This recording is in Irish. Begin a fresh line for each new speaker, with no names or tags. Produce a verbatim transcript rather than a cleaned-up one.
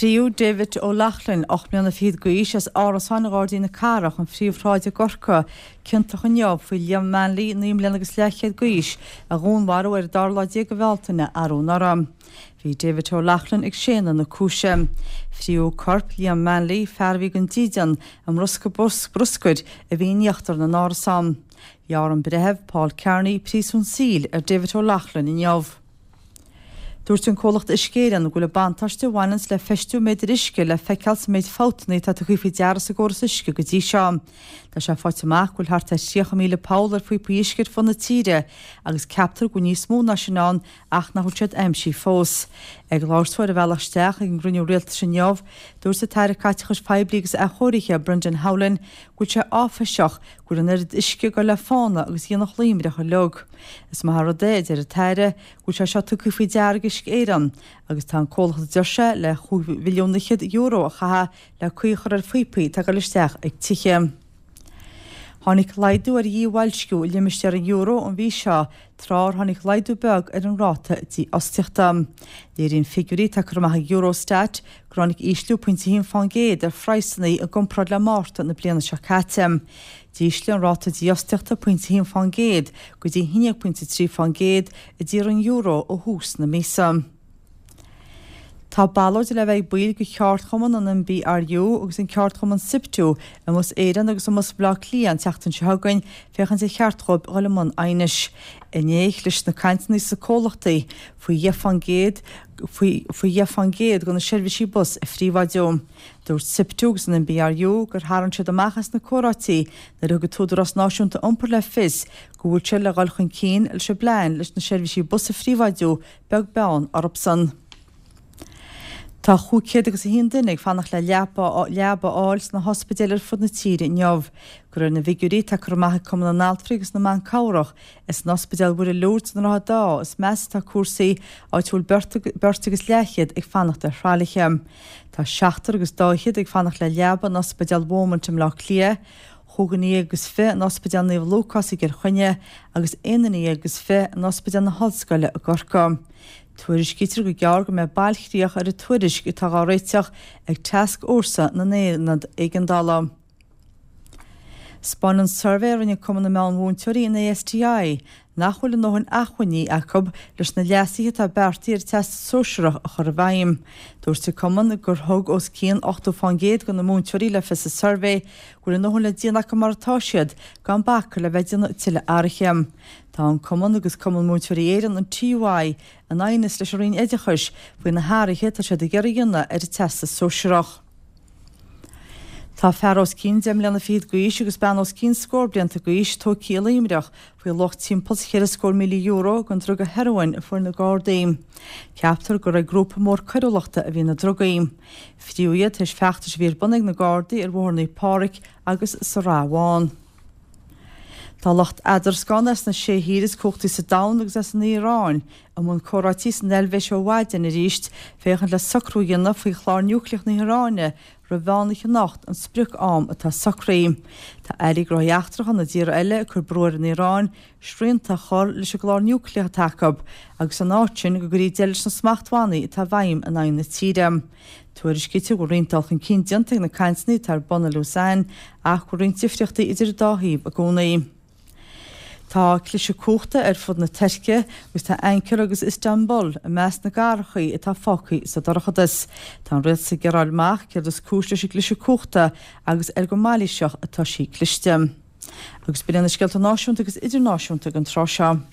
Fríodh David O'Loughlin, ocht mbliana fichead d'aois, as árasán i nGairdíní na Cathrach, an phríomhshráid i gCorcaigh, ciontach inniu faoi Liam Manley, naoi mbliana agus leathchéad d'aois, a dhúnmharú ar an dara lá déag de Bhealtaine arú anuraidh. Bhí David O'Loughlin ag séanadh na cúise. Fríodh corp Liam Manley, fear a bhí gan dídean, i mbosca bruscair a bhí in íochtar na n-árasán. Ghearr an breitheamh, Paul Kearney, príosún saoil ar David O'Loughlin inniu. Dúirt an comhlacht Uisce Éireann go bhfuil an buntáiste a bhaineanns le feistiú méadair uisce le feiceáil sa méid fabhtanna atá tugtha faoi deara sa gcóras uisce go dtí seo. Tá sé faighte amach go bhfuil thart ar thríocha míle poll ar phíopaí uisce ar fud na tíre agus ceaptar go bhfuil níos mó ná sin ann ach nach bhfuil siad aimsithe fós. Ag labhairt dó ar a bhealach isteach ag an gcruinniú rialtais inniu, dúirt an tAire Caiteachais Phoiblí agus Athchóirithe, Brendan Howlin, go bhfuil sé áiféiseach go bhfuil an oiread uisce ag dul le fána agus aonach Luimneach uilig. Is maith an rud é, a deir an tAire, go bhfuil sé seo tugtha faoi deara ag Uisce Éireann agus tá an comhlacht a deir sé le chúig mhilliún fhichead euro a chaitheamh le caoi a chur ar phíopaí atá ag dul isteach ag tithe. Tháinig laghdú ar dhí-bhoilsciú i limistéar an euro an mhí seo tráth ar tháinig laghdú beag ar an ráta dífhostaíochta. Léiríonn figiúirí atá curtha amach ag Eurostat gur tháinig ísliú pointe a haon fán gcéad ar phraghsanna i gcomparáid le Márta na bliana seo caite. D'ísligh an ráta dífhostaíochta pointe a haon fán gcéad go dtí a haon déag pointe trí fán gcéad i dtír an euro ó thús na míosa. Tá ballóid le bheith ag baill de cheardchumann an NBRU agus an ceardchumann SIPTU i mBus Éireann agus i mBus Bhaile Átha Cliath an tseachtain seo chugainn féachaint ar cheart dóibh dhul i mbun aighnis. Inné chlis na cainteanna sna comhlachtaí faoi dheich fán gcéad faoi faoi dheich fán gcéad de na seirbhísí bus a phríobháidiú. Dúirt SIPTU agus an NBRU gur tharraing siad amach as na comhráití nuair a thug an tÚdarás Náisiúnta Iompair le fios go bhfuil sé le dhul chun cinn leis an bplean leis na seirbhísí bus a phríobháidiú beag beann orthusan. Tá chúig chéad agus a haon duine ag fanacht le leaba leaba a fháil sna hospidéil ar fud na tíre inniu. De réir na bhfigiúirí atá curtha amach ag Cumann na nAltraí agus na mBan Cabhrach is san Ospidéal Mhuire Lourdes i nDroichead Átha is measa atá cúrsaí, áit a bhfuil beirt beirt agus leathchéad ag fanacht ar thralaithe. Tá seachtar agus dá fhichead ag fanacht le leaba in Ospidéal Beaumont i mBleá Cliath, chúig dhuine dhéag agus fiche in Ospidéal Naomh Lúcás i gCill Chainnigh agus aon duine dhéag agus fiche in Ospidéal na hOllscoile i gCorcaigh. Tuairiscítear go gearr go mbeidh bailchríoch ar an tuairisc atá á réiteach ag Tascfhórsa na nAonad Éigeandála. Spáineann suirbhé a rinne Cumann na Meánmhúinteoirí an ASTI nach bhfuil a ndóthain acmhainní acu leis na leasuithe atá beartaithe ar an Teastas Sóisearach a chur i bhfeidhm. Dúirt an Cumann gur thug os cionn ochtó fán gcéad de na múinteoirí le fios sa suirbhé go bhfuil a ndóthain le déanamh acu mar atá siad gan bacadh le bheith ag déanamh tuilleadh athruithe. Tá an Cumann agus Cumann Múinteoirí Éireann an TUI in aighneas leis an Roinn Oideachais faoi na hathruithe atá siad ag iarraidh a dhéanamh ar an Teastas Sóisearach. Tá fear os cionn deich mbliana fichead d'aois agus bean os cionn scór blianta d'aois tógtha i Luimneach faoi luach timpeall cheithre scór míle euro den druga hearóin a fuair na Gardaí. Ceaptar gur ag grúpa mór coiriúlachta a bhí na drugaí. Fríodh iad tar éis feachtais a bhí ar bun ag na Gardaí ar Bhóthar Naomh Pádraig agus sa Rath Bhán. Tá lucht eadarascána as na sé thír is cumhachtaí sa domhan agus as an Iaráin i mbun comhráití san Eilvéis ó mhaidin arís féachaint le socrú a dhéanamh faoi chlár núicléach na hIaráine roimh mheán oíche anocht an sprioc-am atá socraithe. Tá airí gnóthaí eachtracha na dtíortha eile ag cur brú ar an Iaráin srianta a chur leis an gclár núicléach atá acu agus san áit sin go gcuirfí deireadh leis na smachtbhannaí atá i bhfeidhm in aghaidh na tíre. Tuairiscítear go bhfuil roinnt dul chun cinn déanta ag na cainteanna atá ar bun i Lausanne ach go bhfuil roinnt difríochtaí idir an dá thaobh i gcónaí. Tá cliseadh cumhachta ar fud na Tuirce agus tá Ankara agus Istanbul i measc na gcathracha atá fágtha sa dorchadas. Tá an rialtas ag iarraidh a fháil amach céard is cúis leis an gcliseadh cumhachta agus ar go mailíseach atá sí cliste. Agus b'in iad na scéalta náisiúnta agus idirnáisiúnta don tráth seo.